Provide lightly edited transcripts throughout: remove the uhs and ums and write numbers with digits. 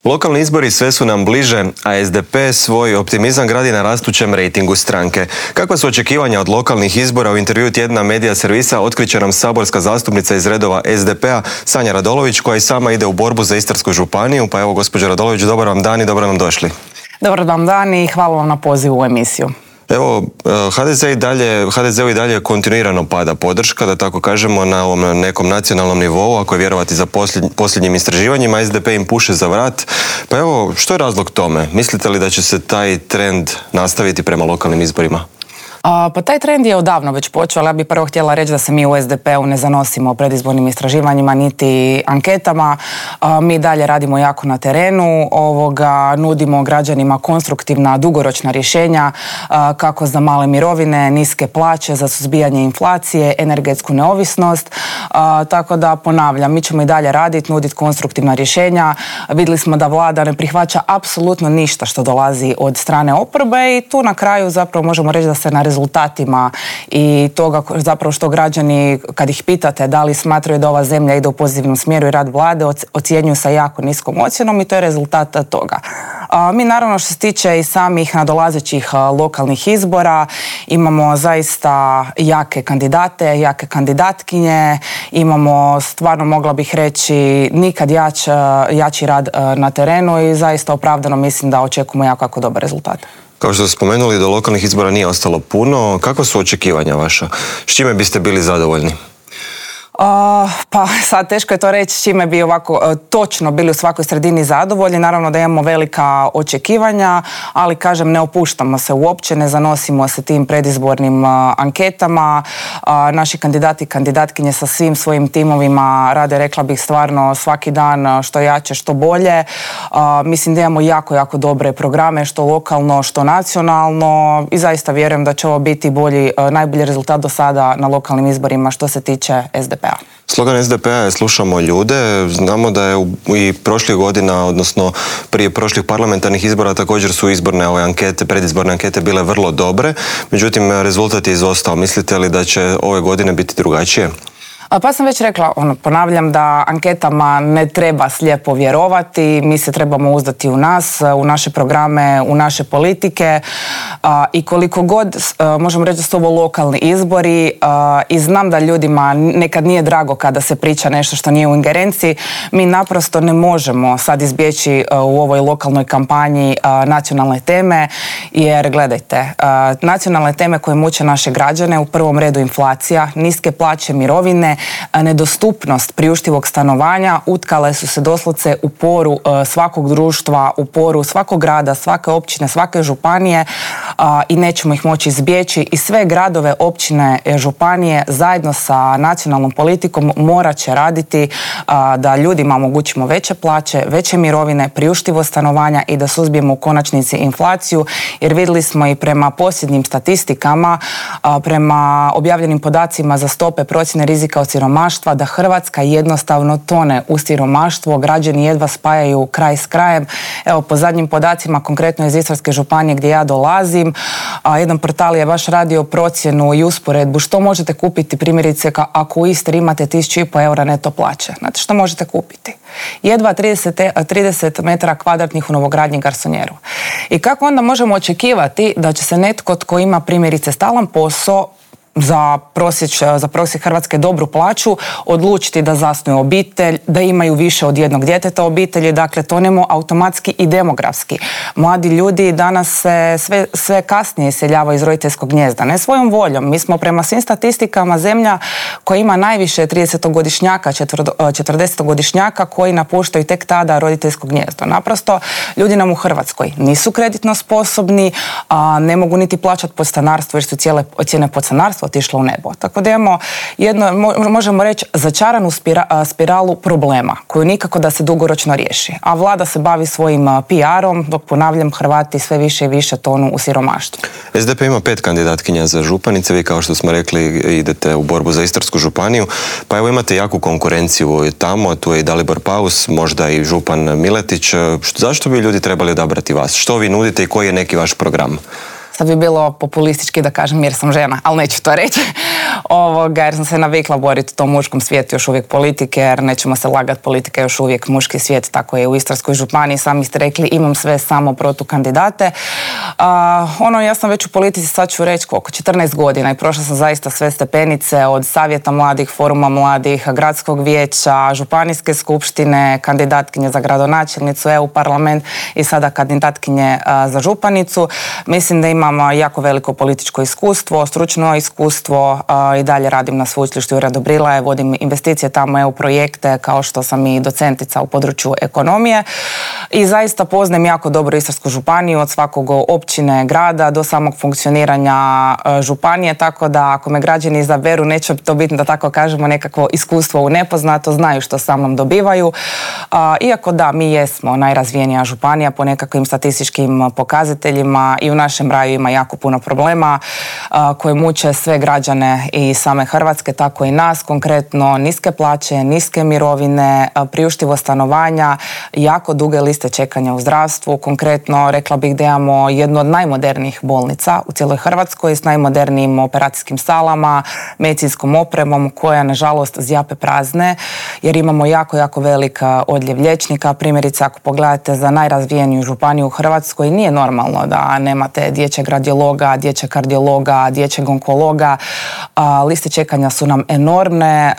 Lokalni izbori sve su nam bliže, a SDP svoj optimizam gradi na rastućem rejtingu stranke. Kakva su očekivanja od lokalnih izbora? U intervjuu tjedna Medija servisa otkriće nam saborska zastupnica iz redova SDP-a Sanja Radolović, koja i sama ide u borbu za Istarsku županiju. Pa evo, gospođo Radolović, dobar vam dan i dobro nam došli. Dobar vam dan i hvala vam na pozivu u emisiju. Evo, HDZ-u i dalje kontinuirano pada podrška, da tako kažemo, na ovom nekom nacionalnom nivou, ako je vjerovati za posljednjim istraživanjima. SDP im puše za vrat. Pa evo, što je razlog tome? Mislite li da će se taj trend nastaviti prema lokalnim izborima? Pa taj trend je odavno već počeo, ali ja bih prvo htjela reći da se mi u SDP-u ne zanosimo predizbornim istraživanjima niti anketama. Mi dalje radimo jako na terenu, nudimo građanima konstruktivna, dugoročna rješenja kako za male mirovine, niske plaće, za suzbijanje inflacije, energetsku neovisnost. Tako da ponavljam, mi ćemo i dalje raditi, nuditi konstruktivna rješenja. Vidjeli smo da vlada ne prihvaća apsolutno ništa što dolazi od strane oporbe i tu na kraju zapravo možemo reći da se na rezultatima i toga zapravo što građani, kad ih pitate da li smatraju da ova zemlja ide u pozitivnom smjeru i rad vlade, ocjenjuju sa jako niskom ocjenom i to je rezultat toga. Mi naravno što se tiče i samih nadolazećih lokalnih izbora imamo zaista jake kandidate, jake kandidatkinje, imamo stvarno, mogla bih reći, nikad jači rad na terenu i zaista opravdano mislim da očekujemo jako dobar rezultat. Kao što ste spomenuli, do lokalnih izbora nije ostalo puno. Kakva su očekivanja vaša? S čime biste bili zadovoljni? Pa sad teško je to reći s čime bi ovako točno bili u svakoj sredini zadovoljni. Naravno da imamo velika očekivanja, ali kažem, ne opuštamo se uopće, ne zanosimo se tim predizbornim anketama. Naši kandidati i kandidatkinje sa svim svojim timovima rade, rekla bih, stvarno svaki dan što jače, što bolje. Mislim da imamo jako dobre programe, što lokalno, što nacionalno i zaista vjerujem da će ovo biti najbolji rezultat do sada na lokalnim izborima što se tiče SDP-a. Slogan SDP-a je slušamo ljude. Znamo da je i prošlih godina, odnosno prije prošlih parlamentarnih izbora također su izborne ankete, predizborne ankete bile vrlo dobre. Međutim, rezultat je izostao. Mislite li da će ove godine biti drugačije? Pa sam već rekla, ponavljam da anketama ne treba slijepo vjerovati, mi se trebamo uzdati u nas, u naše programe, u naše politike i koliko god možemo reći da su ovo lokalni izbori i znam da ljudima nekad nije drago kada se priča nešto što nije u ingerenciji, mi naprosto ne možemo sad izbjeći u ovoj lokalnoj kampanji nacionalne teme, jer gledajte, nacionalne teme koje muče naše građane, u prvom redu inflacija, niske plaće, mirovine, nedostupnost priuštivog stanovanja utkale su se doslovce u poru svakog društva, u poru svakog grada, svake općine, svake županije i nećemo ih moći izbjeći i sve gradove, općine, županije zajedno sa nacionalnom politikom morat će raditi da ljudima omogućimo veće plaće, veće mirovine, priuštivo stanovanja i da suzbijemo u konačnici inflaciju, jer vidjeli smo i prema posljednjim statistikama, prema objavljenim podacima za stope procjene rizika od siromaštva, da Hrvatska jednostavno tone u siromaštvo, građani jedva spajaju kraj s krajem. Evo, po zadnjim podacima, konkretno iz Istarske županije gdje ja dolazim, jedan portal je baš radio procjenu i usporedbu što možete kupiti, primjerice ako u Istri imate 1.500 eura neto plaće. Znate što možete kupiti? Jedva 30 metara kvadratnih u novogradnji garsonjeru. I kako onda možemo očekivati da će se netko tko ima primjerice stalan posao za prosjek Hrvatske dobru plaću sve da zasnuju obitelj, da imaju više od jednog djeteta obitelji, dakle tonemo automatski i demografski. Mladi ljudi danas se sve kasnije iseljavaju iz roditeljskog gnijezda, ne svojom voljom. Mi smo prema svim statistikama zemlja koja ima najviše 30-godišnjaka, 40-godišnjaka koji napuštaju tek tada roditeljsko gnijezdo. Naprosto, ljudi nam u Hrvatskoj nisu kreditno sposobni, ne mogu niti plaćati podstanarstvo jer su cijene podstanarstva otišla u nebo. Tako da imamo možemo reći, začaranu spiralu problema koju nikako da se dugoročno riješi. A vlada se bavi svojim PR-om, dok, ponavljam, Hrvati sve više i više tonu u siromaštvu. SDP ima 5 kandidatkinja za županice. Vi, kao što smo rekli, idete u borbu za Istarsku županiju. Pa evo, imate jaku konkurenciju tamo. Tu je i Dalibor Paus, možda i župan Miletić. Zašto bi ljudi trebali odabrati vas? Što vi nudite i koji je neki vaš program? Sad bi bilo populistički da kažem jer sam žena, ali neću to reći. Jer sam se navikla boriti u tom muškom svijetu još uvijek politike, jer nećemo se lagati, politika je još uvijek muški svijet, tako je u Istarskoj županiji, sami ste rekli, imam sve samo protukandidate. Ja sam već u politici, sad ću reći koliko, 14 godina i prošla sam zaista sve stepenice od savjeta mladih, foruma mladih, gradskog vijeća, županijske skupštine, kandidatkinje za gradonačelnicu, EU parlament i sada kandidatkinje za županicu. Mislim da imam jako veliko političko iskustvo, stručno iskustvo, i dalje radim na sveučilištu Jurja Dobrilaje, vodim investicije tamo, EU projekte, kao što sam i docentica u području ekonomije i zaista poznajem jako dobro Istarsku županiju od svakog općine, grada do samog funkcioniranja županije, tako da ako me građani izaberu neće to biti, da tako kažemo, nekakvo iskustvo u nepoznato, znaju što sa mnom dobivaju. Iako da, mi jesmo najrazvijenija županija po nekakvim statističkim pokazateljima i u našem kraju ima jako puno problema koje muče sve građane i same Hrvatske, tako i nas, konkretno niske plaće, niske mirovine, priuštivo stanovanja, jako duge liste čekanja u zdravstvu. Konkretno rekla bih da imamo jednu od najmodernijih bolnica u cijeloj Hrvatskoj s najmodernijim operacijskim salama, medicinskom opremom koja nažalost zjape prazne jer imamo jako velik odljev liječnika. Primjerice ako pogledate za najrazvijeniju županiju u Hrvatskoj nije normalno da nemate dječjeg radiologa, dječjeg kardiologa, dječjeg onkologa. Liste čekanja su nam enormne.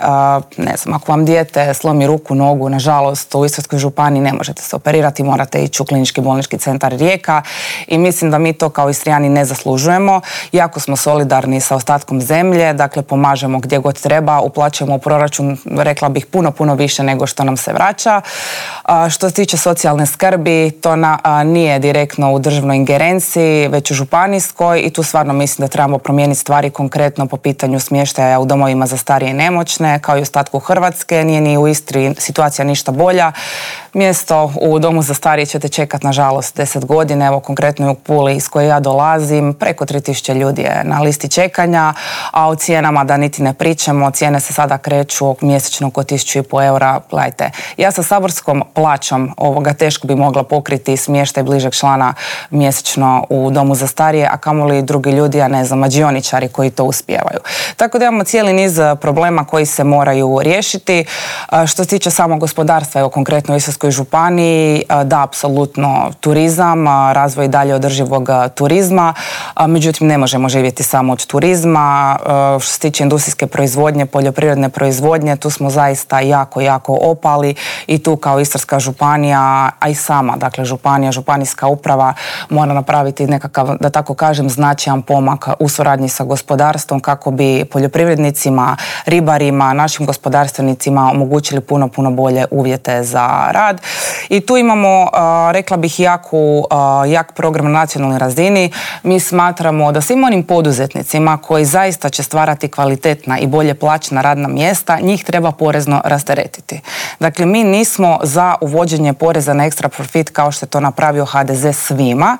Ne znam, ako vam dijete slomi ruku, nogu, nažalost u Istarskoj županiji ne možete se operirati, morate ići u Klinički bolnički centar Rijeka i mislim da mi to kao Istrijani ne zaslužujemo. Jako smo solidarni sa ostatkom zemlje, dakle pomažemo gdje god treba, uplaćujemo u proračun, rekla bih, puno više nego što nam se vraća. Što se tiče socijalne skrbi, to nije direktno u državnoj ingerenciji, već u županijskoj i tu stvarno mislim da trebamo promijeniti stvari konkretno po pitanju smještaja u domovima za starije i nemoćne, kao i u ostatku Hrvatske. Nije ni u Istri situacija ništa bolja. Mjesto u domu za starije ćete čekati, nažalost, 10 godina. Evo, konkretno u Puli iz koje ja dolazim, preko 3000 ljudi je na listi čekanja, a o cijenama da niti ne pričamo. Cijene se sada kreću mjesečno oko 1500 eura. Gledajte, ja sa saborskom plaćom teško bi mogla pokriti smještaj bližeg člana mjesečno u domu za starije, a kamoli drugi ljudi, a ne znam, mađioničari koji to uspijevaju. Tako da imamo cijeli niz problema koji se moraju riješiti. Što se tiče samog gospodarstva, evo konkretno u Istarskoj županiji, da, apsolutno turizam, razvoj dalje održivog turizma, međutim ne možemo živjeti samo od turizma. Što se tiče industrijske proizvodnje, poljoprivredne proizvodnje, tu smo zaista jako opali i tu kao Istarska županija, a i sama, dakle županija, županijska uprava mora napraviti nekakav, da tako kažem, značajan pomak u suradnji sa gospodarstvom kako bi poljoprivrednicima, ribarima, našim gospodarstvenicima omogućili puno bolje uvjete za rad. I tu imamo, rekla bih, jak program na nacionalnoj razini. Mi smatramo da svim onim poduzetnicima koji zaista će stvarati kvalitetna i bolje plaćena radna mjesta, njih treba porezno rasteretiti. Dakle, mi nismo za uvođenje poreza na ekstra profit kao što je to napravio HDZ svima,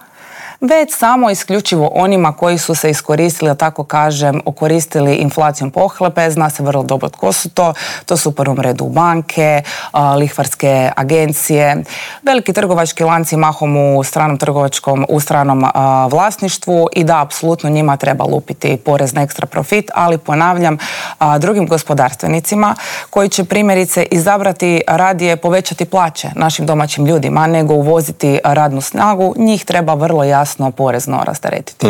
već samo isključivo onima koji su se iskoristili, da tako kažem, okoristili inflacijom pohlepe. Zna se vrlo dobro tko su to. To su u prvom redu banke, lihvarske agencije, veliki trgovački lanci mahom u stranom vlasništvu i da, apsolutno njima treba lupiti porez na ekstra profit, ali ponavljam, drugim gospodarstvenicima koji će primjerice izabrati radije povećati plaće našim domaćim ljudima nego uvoziti radnu snagu, njih treba vrlo jasno porezno rasteretiti.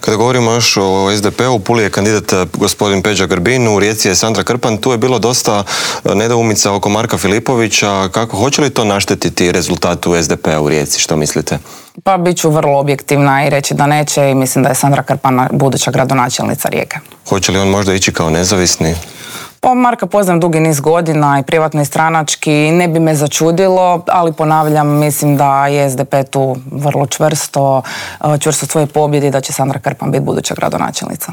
Kada govorimo još o SDP-u, u Puli je kandidat gospodin Peđa Grbin, u Rijeci je Sandra Krpan, tu je bilo dosta nedoumica oko Marka Filipovića. Kako, hoće li to naštetiti rezultatu SDP-a u Rijeci, što mislite? Pa bit ću vrlo objektivna i reći da neće i mislim da je Sandra Krpan buduća gradonačelnica Rijeke. Hoće li on možda ići kao nezavisni? Pa Marka poznam dugi niz godina i privatno i stranački, ne bi me začudilo, ali ponavljam, mislim da je SDP tu vrlo čvrsto svoje pobjedi, da će Sandra Krpan biti buduća gradonačelnica.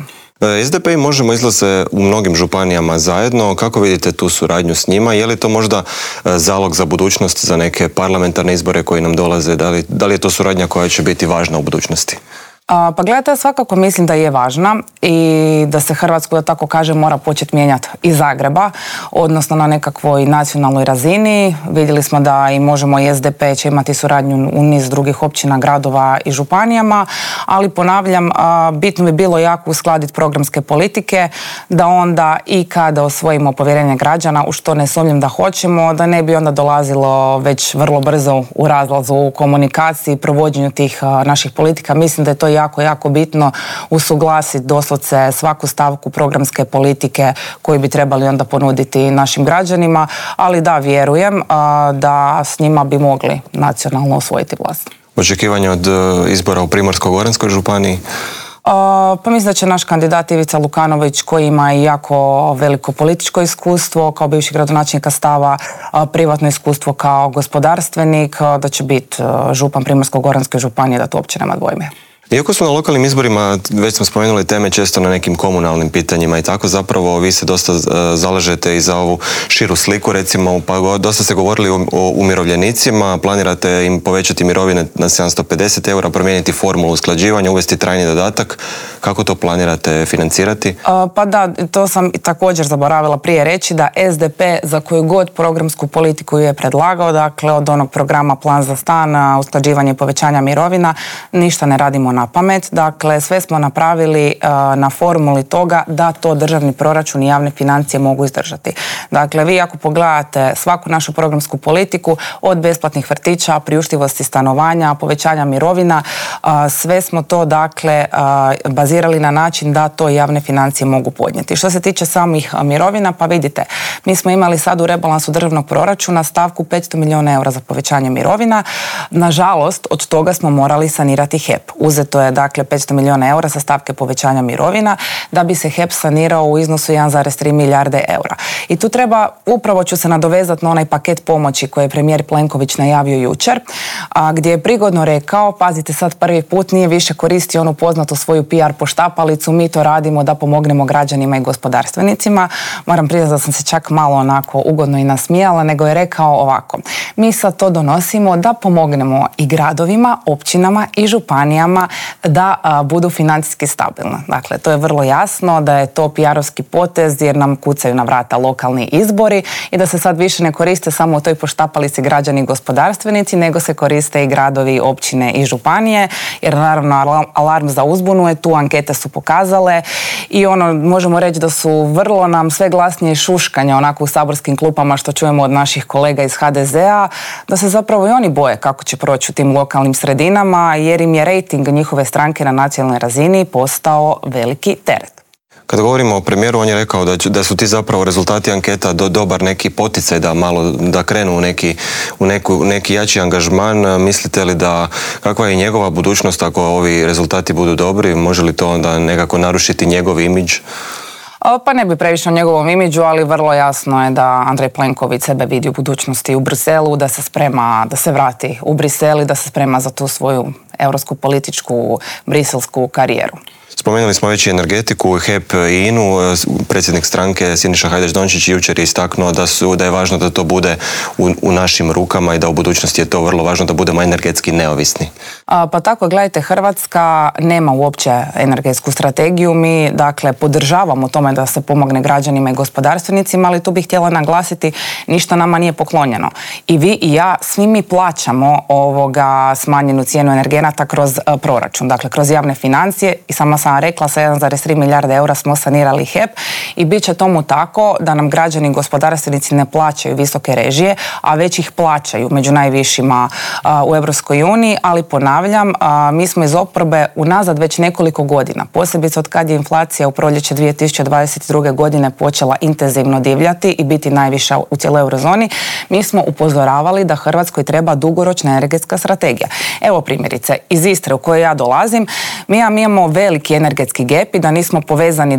SDP i Možemo izlaze u mnogim županijama zajedno. Kako vidite tu suradnju s njima? Je li to možda zalog za budućnost, za neke parlamentarne izbore koji nam dolaze? Da li je to suradnja koja će biti važna u budućnosti? Pa gledajte, ja svakako mislim da je važna i da se Hrvatsku, da tako kažem, mora početi mijenjati iz Zagreba, odnosno na nekakvoj nacionalnoj razini. Vidjeli smo da i Možemo i SDP će imati suradnju u niz drugih općina, gradova i županijama, ali ponavljam, bitno bi bilo jako uskladiti programske politike, da onda i kada osvojimo povjerenje građana, u što ne sumnjam da hoćemo, da ne bi onda dolazilo već vrlo brzo u razlazu u komunikaciji, provođenju tih naših politika. Mislim da je to jako, jako bitno usuglasiti doslovce svaku stavku programske politike koju bi trebali onda ponuditi našim građanima, ali da, vjerujem da s njima bi mogli nacionalno osvojiti vlast. Očekivanje od izbora u Primorsko-goranskoj županiji? Pa mislim da će naš kandidat Ivica Lukanović, koji ima i jako veliko političko iskustvo kao bivši gradonačelnik Stava, privatno iskustvo kao gospodarstvenik, da će biti župan Primorsko-goranske županije, da to uopće nema dvojbe. Iako smo na lokalnim izborima, već smo spomenuli teme često na nekim komunalnim pitanjima i tako, zapravo vi se dosta zalažete i za ovu širu sliku, recimo, pa dosta ste govorili o umirovljenicima, planirate im povećati mirovine na 750 eura, promijeniti formulu usklađivanja, uvesti trajni dodatak. Kako to planirate financirati? Pa da, to sam također zaboravila prije reći, da SDP za koju god programsku politiku je predlagao, dakle od onog programa Plan za stan, usklađivanje i povećanja mirovina, ništa ne radimo na pamet. Dakle, sve smo napravili na formuli toga da to državni proračun i javne financije mogu izdržati. Dakle, vi ako pogledate svaku našu programsku politiku, od besplatnih vrtića, priuštivosti stanovanja, povećanja mirovina, sve smo to, dakle, bazirali na način da to javne financije mogu podnijeti. Što se tiče samih mirovina, pa vidite, mi smo imali sad u rebalansu državnog proračuna stavku 500 milijuna eura za povećanje mirovina. Nažalost, od toga smo morali sanirati HEP. Uzeto je, dakle, 500 milijuna eura sa stavke povećanja mirovina da bi se HEP sanirao u iznosu 1,3 milijarde eura. I tu treba, upravo ću se nadovezati na onaj paket pomoći koji je premijer Plenković najavio jučer, gdje je prigodno rekao, pazite sad, prvi put nije više koristio onu poznatu svoju PR poštapalicu, mi to radimo da pomognemo građanima i gospodarstvenicima. Moram priznati da sam se čak malo onako ugodno i nasmijala, nego je rekao ovako: mi sad to donosimo da pomognemo i gradovima, općinama i županijama da budu financijski stabilne. Dakle, to je vrlo jasno da je to PR-ovski potez jer nam kucaju na vrata lokalni izbori i da se sad više ne koriste samo u toj poštapalici građani i gospodarstvenici, nego se koriste i gradovi, općine i županije, jer naravno alarm za uzbunu je tu, ankete su pokazale i možemo reći da su vrlo nam sve glasnije šuškanja onako u saborskim klupama što čujemo od naših kolega iz HDZ-a, da se zapravo i oni boje kako će proći u tim lokalnim sredinama jer im je rejting njihove stranke na nacionalnoj razini postao veliki teret. Kad govorimo o premijeru, on je rekao da su ti zapravo rezultati anketa dobar neki poticaj da krenu u neki jači angažman. Mislite li da kakva je njegova budućnost ako ovi rezultati budu dobri? Može li to onda nekako narušiti njegov imidž? Pa ne bi previše o njegovom imidžu, ali vrlo jasno je da Andrej Plenković sebe vidi u budućnosti u Briselu, da se sprema da se vrati u Brisel i da se sprema za tu svoju europsku političku briselsku karijeru. Spomenuli smo već i energetiku, HEP i INA-u. Predsjednik stranke Siniša Hajdaš-Dončić jučer je istaknuo da je važno da to bude u našim rukama i da u budućnosti je to vrlo važno da budemo energetski neovisni. Pa tako, gledajte, Hrvatska nema uopće energetsku strategiju. Mi, dakle, podržavamo tome da se pomogne građanima i gospodarstvenicima, ali tu bih htjela naglasiti, ništa nama nije poklonjeno. I vi i ja, svi mi plaćamo smanjenu cijenu energenata kroz proračun, dakle kroz javne financije, i sama sam rekla, sa 1,3 milijarde eura smo sanirali HEP i bit će tomu tako da nam građani i gospodarstvenici ne plaćaju visoke režije, a već ih plaćaju među najvišima u Europskoj uniji, ali ponavljam, mi smo iz oporbe unazad već nekoliko godina, posebice od kad je inflacija u proljeće 2022. godine počela intenzivno divljati i biti najviša u cijeloj eurozoni, mi smo upozoravali da Hrvatskoj treba dugoročna energetska strategija. Evo primjerice, iz Istre u kojoj ja dolazim, mi imamo veliki energetski gap i da nismo povezani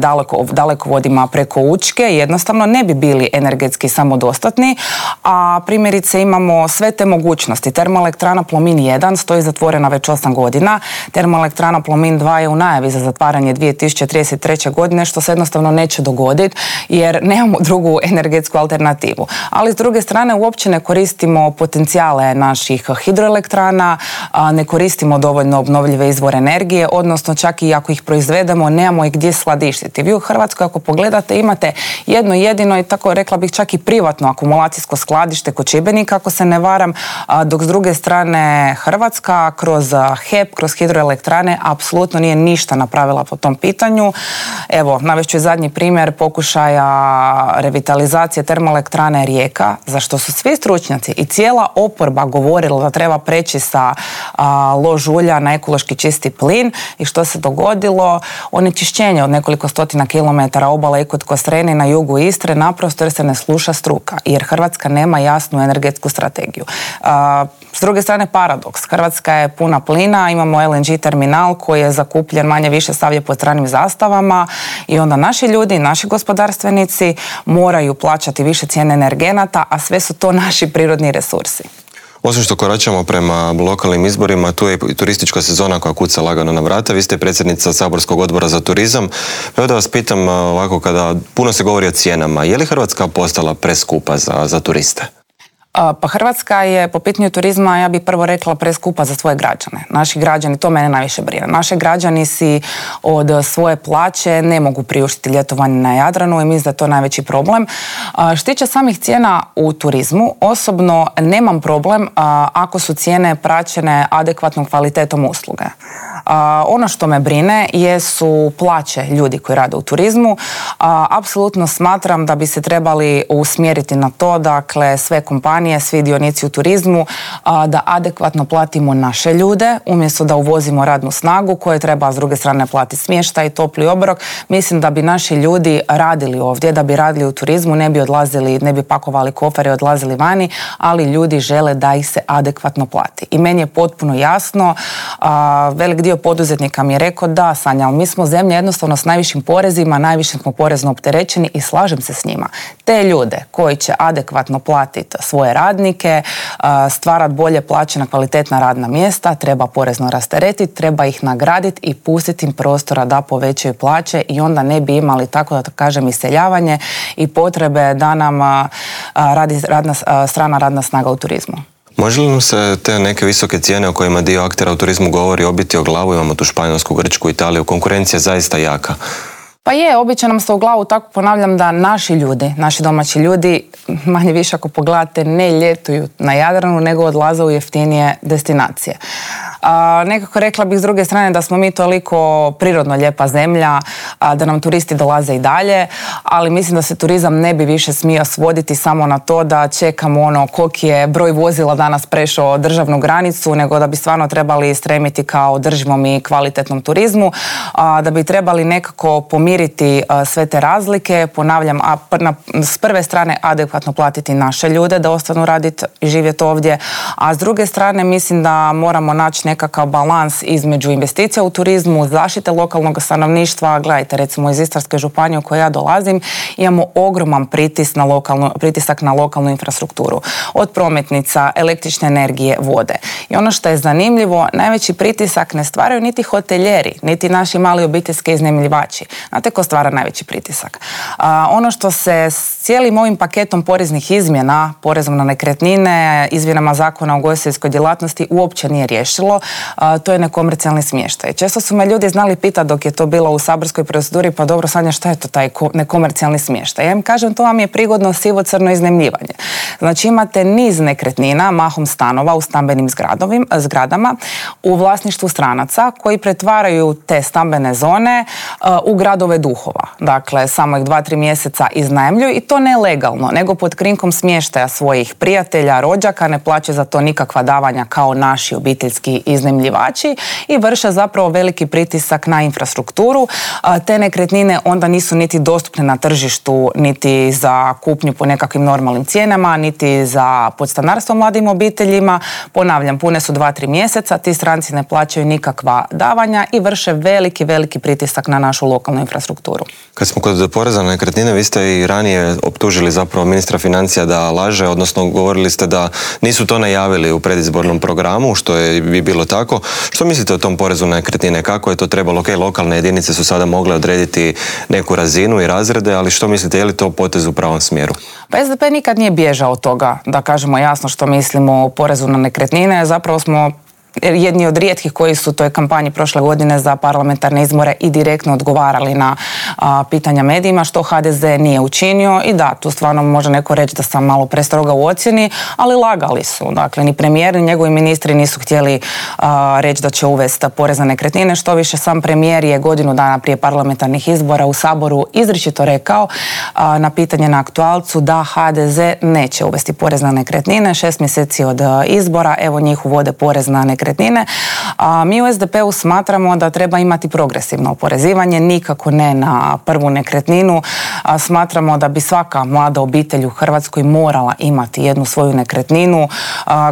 dalekovodima preko Učke, jednostavno ne bi bili energetski samodostatni, a primjerice imamo sve te mogućnosti. Termoelektrana Plomin 1 stoji zatvorena već 8 godina, termoelektrana Plomin 2 je u najavi za zatvaranje 2033. godine, što se jednostavno neće dogoditi jer nemamo drugu energetsku alternativu. Ali s druge strane uopće ne koristimo potencijale naših hidroelektrana, ne koristimo dovoljno obnovljive izvore energije, odnosno čak i ako ih proizvedemo, nemamo ih gdje skladištiti. Vi u Hrvatskoj, ako pogledate, imate jedno jedino i tako rekla bih čak i privatno akumulacijsko skladište kod Šibenika, ako se ne varam, dok s druge strane Hrvatska kroz HEP, kroz hidroelektrane apsolutno nije ništa napravila po tom pitanju. Evo, navest ću zadnji primjer pokušaja revitalizacije termoelektrane Rijeka, za što su svi stručnjaci i cijela oporba govorila da treba preći sa lož ulja na ekološki čisti plin. I što se dogodilo? Onečišćenje od nekoliko stotina kilometara obale i kod Kostrene na jugu Istre, naprosto jer se ne sluša struka, jer Hrvatska nema jasnu energetsku strategiju. S druge strane, paradoks. Hrvatska je puna plina, imamo LNG terminal koji je zakupljen manje više stavljen pod stranim zastavama i onda naši ljudi, naši gospodarstvenici moraju plaćati više cijene energenata, a sve su to naši prirodni resursi. Osim što koračamo prema lokalnim izborima, tu je i turistička sezona koja kuca lagano na vrata. Vi ste predsjednica Saborskog odbora za turizam. Evo da vas pitam ovako, kada puno se govori o cijenama, je li Hrvatska postala preskupa za turiste? Pa Hrvatska je po pitanju turizma, ja bih prvo rekla, preskupa za svoje građane. Naši građani, to mene najviše brine. Naši građani si od svoje plaće ne mogu priuštiti ljetovanje na Jadranu i mislim da je to najveći problem. Što se tiče samih cijena u turizmu, osobno nemam problem ako su cijene praćene adekvatnom kvalitetom usluge. Ono što me brine jesu plaće ljudi koji rade u turizmu. Apsolutno smatram da bi se trebali usmjeriti na to, dakle, sve kompanije, svi dionici u turizmu, da adekvatno platimo naše ljude, umjesto da uvozimo radnu snagu koje treba s druge strane platiti smještaj i topli obrok. Mislim da bi naši ljudi radili ovdje, da bi radili u turizmu, ne bi odlazili, ne bi pakovali kofere i odlazili vani, ali ljudi žele da ih se adekvatno plati. I meni je potpuno jasno, velik dio poduzetnika mi je rekao da, Sanja, ali mi smo zemlja jednostavno s najvišim porezima, najviše smo porezno opterećeni i slažem se s njima. Te ljude koji će adekvatno platiti svoje radnike, stvarati bolje plaćena kvalitetna radna mjesta, treba porezno rasteretiti, treba ih nagraditi i pustiti im prostora da povećaju plaće i onda ne bi imali, tako da kažem, iseljavanje i potrebe da nam radi strana radna snaga u turizmu. Može li nam se te neke visoke cijene o kojima dio aktera u turizmu govori obiti o glavu? Imamo tu Španjolsku, Grčku, Italiju, konkurencija je zaista jaka. Pa je, obično nam se u glavu, tako ponavljam, da naši ljudi, naši domaći ljudi, manje više ako pogledate, ne ljetuju na Jadranu, nego odlaze u jeftinije destinacije. Nekako rekla bih s druge strane da smo mi toliko prirodno lijepa zemlja, da nam turisti dolaze i dalje, ali mislim da se turizam ne bi više smio svoditi samo na to da čekamo koliki je broj vozila danas prešao državnu granicu, nego da bi stvarno trebali stremiti kao održivom i kvalitetnom turizmu, da bi trebali nekako pomiriti sve te razlike, ponavljam, s prve strane adekvatno platiti naše ljude da ostanu raditi i živjeti ovdje, a s druge strane mislim da moramo naći nekakav balans između investicija u turizmu, zaštite lokalnog stanovništva. Gledajte, recimo iz Istarske županije u kojoj ja dolazim, imamo ogroman pritisak na lokalnu infrastrukturu. Od prometnica, električne energije, vode. I ono što je zanimljivo, najveći pritisak ne stvaraju niti hotelijeri, niti naši mali obiteljski iznajmljivači. Znate ko stvara najveći pritisak? Ono što se s cijelim ovim paketom poreznih izmjena, porezom na nekretnine, izmjenama zakona o ugostiteljskoj djelatnosti uopće nije riješilo, to je nekomercijalni smještaj. Često su me ljudi znali pitati dok je to bilo u saborskoj proceduri, pa dobro, Sanja, šta je to taj nekomercijalni smještaj? Ja im kažem, to vam je prigodno sivo-crno iznajmljivanje. Znači imate niz nekretnina, mahom stanova u stambenim zgradama, u vlasništvu stranaca koji pretvaraju te stambene zone u gradove duhova. Dakle, samo ih 2-3 mjeseca iznajmljuju i to ne legalno, nego pod krinkom smještaja svojih prijatelja, rođaka, ne plaćaju za to nikakva davanja kao naši obiteljski iznajmljivači i vrše zapravo veliki pritisak na infrastrukturu. Te nekretnine onda nisu niti dostupne na tržištu, niti za kupnju po nekakvim normalnim cijenama, niti za podstanarstvo mladim obiteljima. Ponavljam, pune su 2-3 mjeseca, ti stranci ne plaćaju nikakva davanja i vrše veliki pritisak na našu lokalnu infrastrukturu. Kad smo kod poreza na nekretnine, vi ste i ranije optužili zapravo ministra financija da laže, odnosno govorili ste da nisu to najavili u predizbornom programu, što je bi bilo tako. Što mislite o tom porezu na nekretnine? Kako je to trebalo? Ok, lokalne jedinice su sada mogle odrediti neku razinu i razrede, ali što mislite, je li to potez u pravom smjeru? Pa SDP nikad nije bježao od toga da kažemo jasno što mislimo o porezu na nekretnine. Zapravo smo jedni od rijetkih koji su u toj kampanji prošle godine za parlamentarne izbore i direktno odgovarali na pitanja medijima, što HDZ nije učinio. I da, tu stvarno može neko reći da sam malo prestroga u ocjeni, ali lagali su. Dakle, ni premijer, ni njegovi ministri nisu htjeli reći da će uvesti porez na nekretnine. Što više, sam premijer je godinu dana prije parlamentarnih izbora u Saboru izričito rekao na pitanje na aktualcu da HDZ neće uvesti porez na nekretnine. 6 mjeseci od izbora, evo njih uvode porez na nekretnine. Mi u SDP-u smatramo da treba imati progresivno oporezivanje, nikako ne na prvu nekretninu. Smatramo da bi svaka mlada obitelj u Hrvatskoj morala imati jednu svoju nekretninu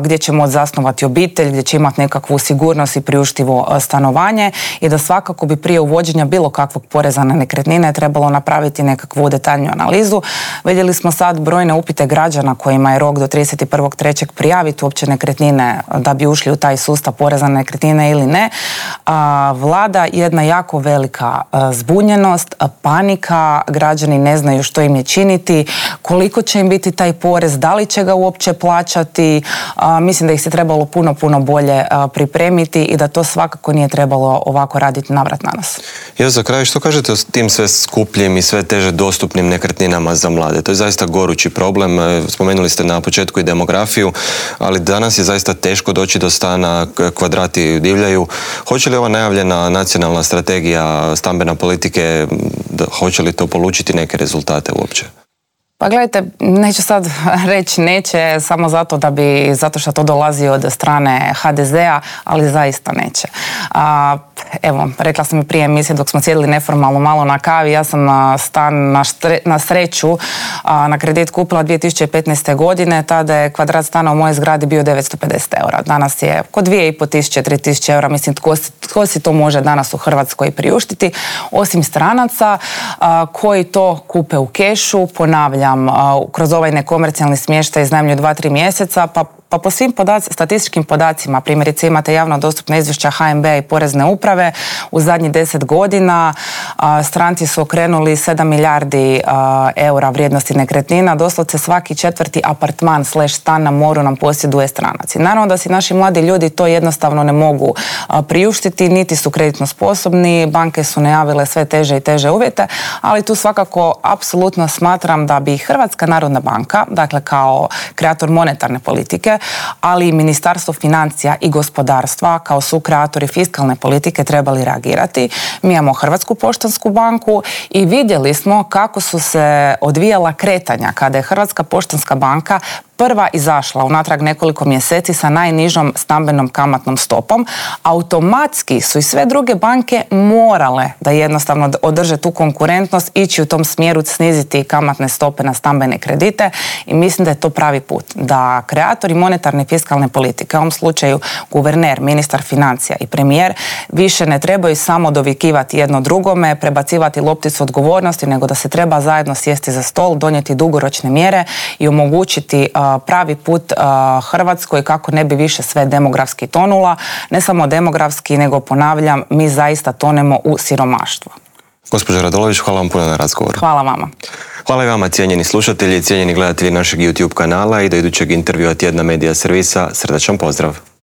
gdje će moći zasnovati obitelj, gdje će imati nekakvu sigurnost i priuštivo stanovanje i da svakako bi prije uvođenja bilo kakvog poreza na nekretnine trebalo napraviti nekakvu detaljniju analizu. Vidjeli smo sad brojne upite građana kojima je rok do 31.3. prijaviti uopće nekretnine da bi ušli u taj sustav poreza na nekretnine ili ne. Vlada jedna jako velika zbunjenost, panika, građani ne znaju što im je činiti, koliko će im biti taj porez, da li će ga uopće plaćati. Mislim da ih se trebalo puno bolje pripremiti i da to svakako nije trebalo ovako raditi navrat na nas. Ja za kraj, što kažete o tim sve skupljim i sve teže dostupnim nekretninama za mlade? To je zaista gorući problem. Spomenuli ste na početku i demografiju, ali danas je zaista teško doći do stana, kvadrati divljaju. Hoće li ova najavljena nacionalna strategija stambene politike, hoće li to polučiti neke rezultate uopće? Pa gledajte, neću sad reći neće samo zato što to dolazi od strane HDZ-a, ali zaista neće. Evo, rekla sam i prije emisije dok smo sjedili neformalno malo na kavi, ja sam stan na sreću na kredit kupila 2015. godine, tada je kvadrat stana u mojoj zgradi bio 950 eura. Danas je oko 2500-3000 eura, mislim tko si to može danas u Hrvatskoj priuštiti, osim stranaca koji to kupe u kešu, ponavljam, kroz ovaj nekomercijalni smještaj iznajmljuju 2-3 mjeseca, pa po svim statističkim podacima, primjerice imate javno dostupna izvješća HNB-a i Porezne uprave, u zadnjih 10 godina stranci su okrenuli 7 milijardi eura vrijednosti nekretnina, doslovce svaki 4. apartman / stan na moru nam posjeduje stranac. I naravno da si naši mladi ljudi to jednostavno ne mogu priuštiti, niti su kreditno sposobni, banke su najavile sve teže i teže uvjete, ali tu svakako apsolutno smatram da bi Hrvatska narodna banka, dakle kao kreator monetarne politike, ali i Ministarstvo financija i gospodarstva kao sukreatori fiskalne politike trebali reagirati. Mi imamo Hrvatsku poštansku banku i vidjeli smo kako su se odvijala kretanja kada je Hrvatska poštanska banka prva izašla unatrag nekoliko mjeseci sa najnižom stambenom kamatnom stopom. Automatski su i sve druge banke morale da jednostavno održe tu konkurentnost, ići u tom smjeru, sniziti kamatne stope na stambene kredite i mislim da je to pravi put. Da kreatori monetarne i fiskalne politike, u ovom slučaju guverner, ministar financija i premijer, više ne trebaju samo dovikivati jedno drugome, prebacivati lopticu odgovornosti, nego da se treba zajedno sjesti za stol, donijeti dugoročne mjere i omogućiti pravi put Hrvatskoj kako ne bi više sve demografski tonula. Ne samo demografski, nego ponavljam, mi zaista tonemo u siromaštvo. Gospođo Radolović, hvala vam puno na razgovoru. Hvala vama. Hvala i vama, cijenjeni slušatelji i cijenjeni gledatelji našeg YouTube kanala i do idućeg intervjua Tjedna medija servisa. Srdačan pozdrav.